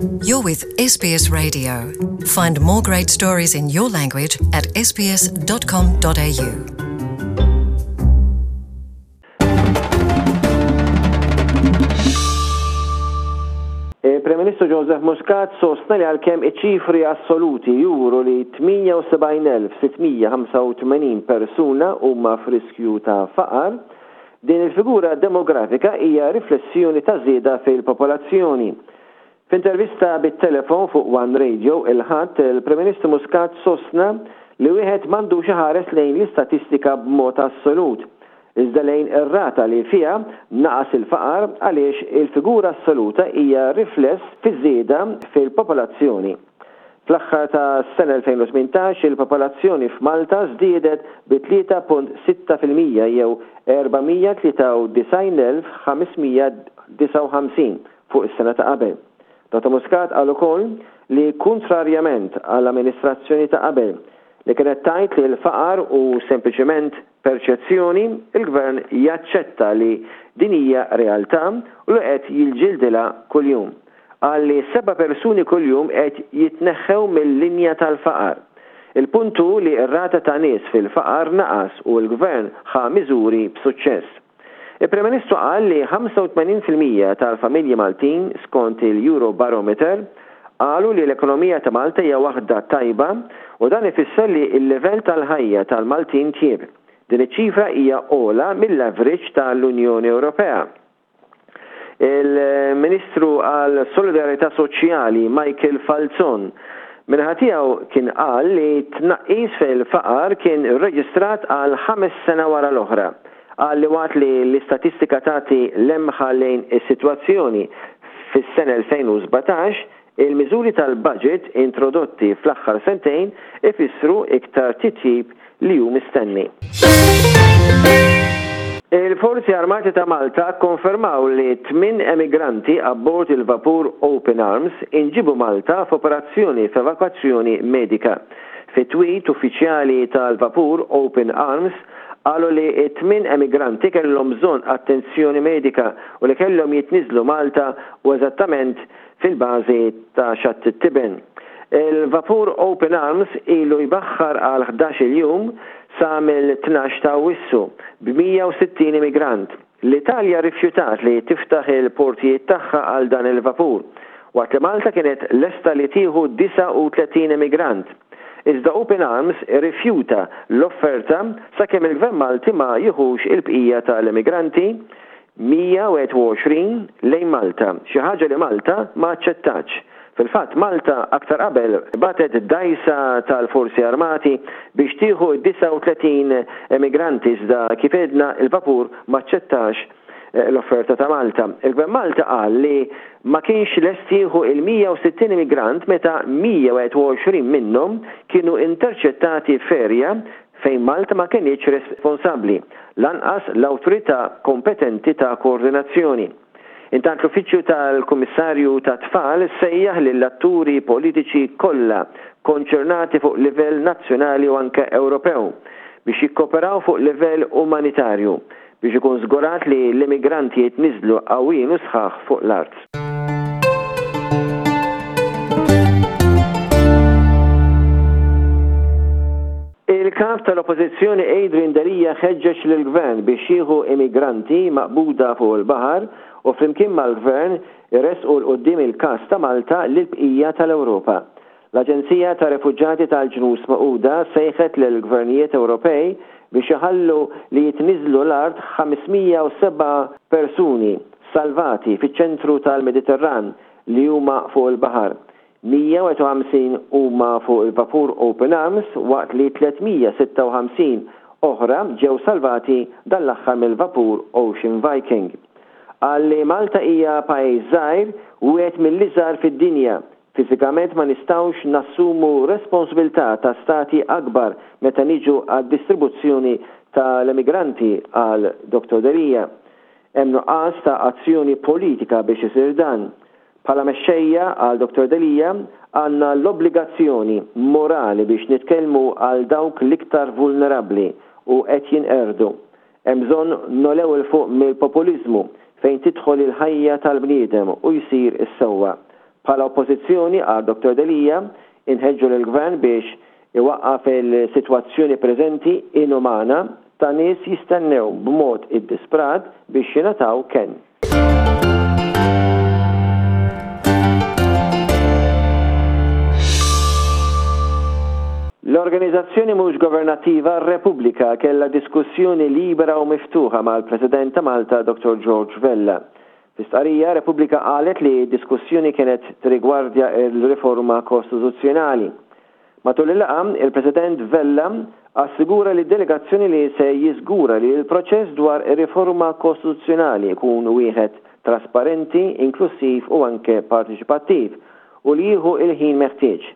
You're with SBS Radio. Find more great stories in your language at sbs.com.au. Il-Prim Ministru Joseph Muscat sostna li għalkemm iċ-ċifri assoluti juru li 78,685 persuna huma f'riskju ta' faqar, din il-figura demografika hija riflessjoni ta' żieda fil-popolazzjoni. F'intervista bit-telefon fuq One Radio il-Ħadd, il-Prim Ministru Muscat sostna li wieħed m'għandux iħares lejn l-istatistika b'mod assolut, iżda lejn ir-rata li fiha naqas il-faqar għaliex il-figura assoluta hija rifless fiż-żieda fil-popolazzjoni. Fl-aħħar tas-sena 2018 il-popolazzjoni f'Malta żdiedet bi 3.6% jew 493,559 fuq is-sena ta' qabel. Dottor Muscat qal ukoll li kuntrarjament għall-amministrazzjoni ta' qabel li kienet tgħid li l-faqar hu sempliċement perċezzjoni, il-Gvern jaċċetta li din hija realtà u li qed jiġġildilha kuljum. Qal li seba' persuni kuljum qed jitneħħew mil-linja tal-faqar. Il-punt hu li r-rata ta' nies fil-faqar naqas u l-Gvern ħa miżuri b'suċċess. Il-Prim Ministru qal li 85% tal-familji Maltin, skont il-Eurobarometer, qalu li l-ekonomija ta' Malta hija waħda tajba u dan ifisser li l-livell tal-ħajja tal-Maltin tjieb. Din iċ-ċifra hija ogħla mill-average tal-Unjoni Ewropea. Il-Ministru għal Solidarjetà Soċjali Michael Falzon min-naħa tiegħu kien qal li tnaqqis fil-faqar kien rreġistrat għal ħames sena wara l-oħra. Qal li waqt li l-istatistika tagħti lemħa lejn is-sitwazzjoni fis-sena 2017, il-miżuri tal-budget introdotti fl-aħħar sentejn ifissru iktar titjib li hu mistenni. Il-Forzi Armati ta' Malta kkonfermaw li tminn emigranti abbord il-vapur Open Arms inġiebu Malta f'operazzjoni f'evakwazzjoni medika. Fi tweet, uffiċjali tal-vapur Open Arms qalu li t-tminn emigranti kellhom bżonn attenzjoni medika u li kellhom jitniżżlu Malta u eżattament fil-bażi ta' Xatt it-Tiben. Il-vapur Open Arms ilu jbaħħar għal 11-il jum sa mill-12 ta' Awwissu b'160 immigrant. L-Italja rrifjutat li tiftaħ il-portijiet tagħha għal dan il-vapur, waqt li Malta kienet lesta li tieħu 39 immigrant. Iżda Open Arms irrifjuta l-offerta sakemm il-Gvern Malti ma jieħux il-bqija tal-immigranti, 121, lejn Malta, xi ħaġa li Malta ma aċċettatx. Fil-fatt, Malta aktar qabel bagħtet dgħajsa tal-Forzi Armati biex tieħu d-39 emigranti iżda kif għedna l-vapur m'aċċettax l-offerta ta' Malta. Il-Gvern Malti qal li ma kienx lest jieħu il-160 immigrant meta 121 minnhom kienu interċettati f'area fejn Malta ma kenitx responsabbli, lanqas l-awtorità kompetenti ta' koordinazzjoni. Intant l-Uffiċċju tal-Kummissarju tat-Tfal sejjaħ lill-atturi politiċi kollha konċernati fuq livell nazzjonali u anke Ewropew biex jikkoperaw fuq livell umanitarju biex ikun żgurat li l-immigranti jitniżżlu qawwijin u sħaħ fuq l-art. Il-Kap tal-Oppożizzjoni Adrian Delia ħeġġeġ lill-Gvern biex jieħu immigranti maqbuda fuq il-baħar u flimkien mal-Gvern iressqu 'l quddiem il-każ ta' Malta lill-bqija tal-Ewropa. L-Aġenzija tar-Refuġjati tal-Ġnus Magħquda sejħet lill-gvernijiet Ewropej biex iħallu li jitniżżlu l-art 507 persuni salvati fiċ-ċentru tal-Mediterran li huma fuq il-baħar. 151 huma fuq il-vapur Open Arms waqt li 356 oħra ġew salvati dan l-aħħar mill-vapur Ocean Viking. Qal li Malta hija pajjiż żgħir, wieħed mill-iżgħar fid-dinja, Fiżikament ma nistgħux nassumu responsbiltà ta' stati akbar meta niġu għad-distribuzzjoni ta' l-emigranti, qal Dottor Delia. Hemm nuqqas ta' azzjoni politika biex isir dan. Bħala mexxejja, qal Dottor Delia, għandna l-obbligazzjoni morali biex nitkellmu għal dawk l-iktar vulnerabbli u qed jinqerdu. Hemm bżonn nogħlew 'il fuq mill-populiżmu fejn tidħol il-ħajja tal-bniedem u jsir is-sewwa. Bħala Oppożizzjoni, qal Dottor Delia, inħeġġu lill-Gvern biex iwaqqaf il-sitwazzjoni preżenti inumana ta' nies jistennew b'mod iddisprat biex jingħataw kenn. L-organizazzjoni mhux governattiva Repubblika kellha diskussjoni libera u miftuħa mal-President ta' Malta Dottor George Vella. Fi stqarrija, Repubblika qalet li d-diskussjoni kienet tirrigwardja r-riforma kostituzzjonali. Matul il-laqgħa, il-President Vella assigura lid-delegazzjoni li se jiżgura li l-proċess dwar ir-riforma kostituzzjonali jkun wieħed trasparenti, inklussiv u anke parteċipattiv u li jieħu l-ħin meħtieġ.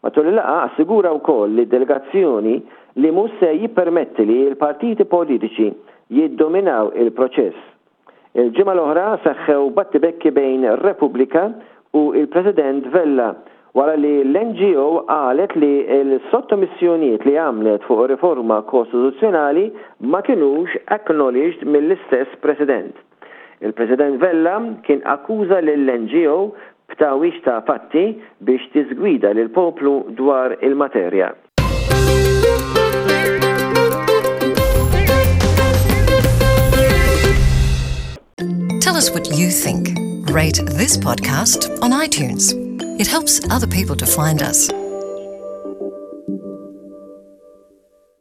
Matul il-laqgħa assigura wkoll lid-delegazzjoni li mhux se jippermetti li l-partiti politiċi jiddominaw il-proċess. Il-ġimgħa l-oħra seħħew battibekki bejn Repubblika u l-President Vella wara li l-NGO qalet li l-sottomissjonijiet li għamlet fuq ir-riforma kostituzzjonali ma kinux acknowledged mill-istess President. Il-President Vella kien akkuża lill-NGO b'tgħawwiġ ta' fatti biex tiżgwida lill-poplu dwar il-materja. Tell us what you think. Rate this podcast on iTunes. It helps other people to find us.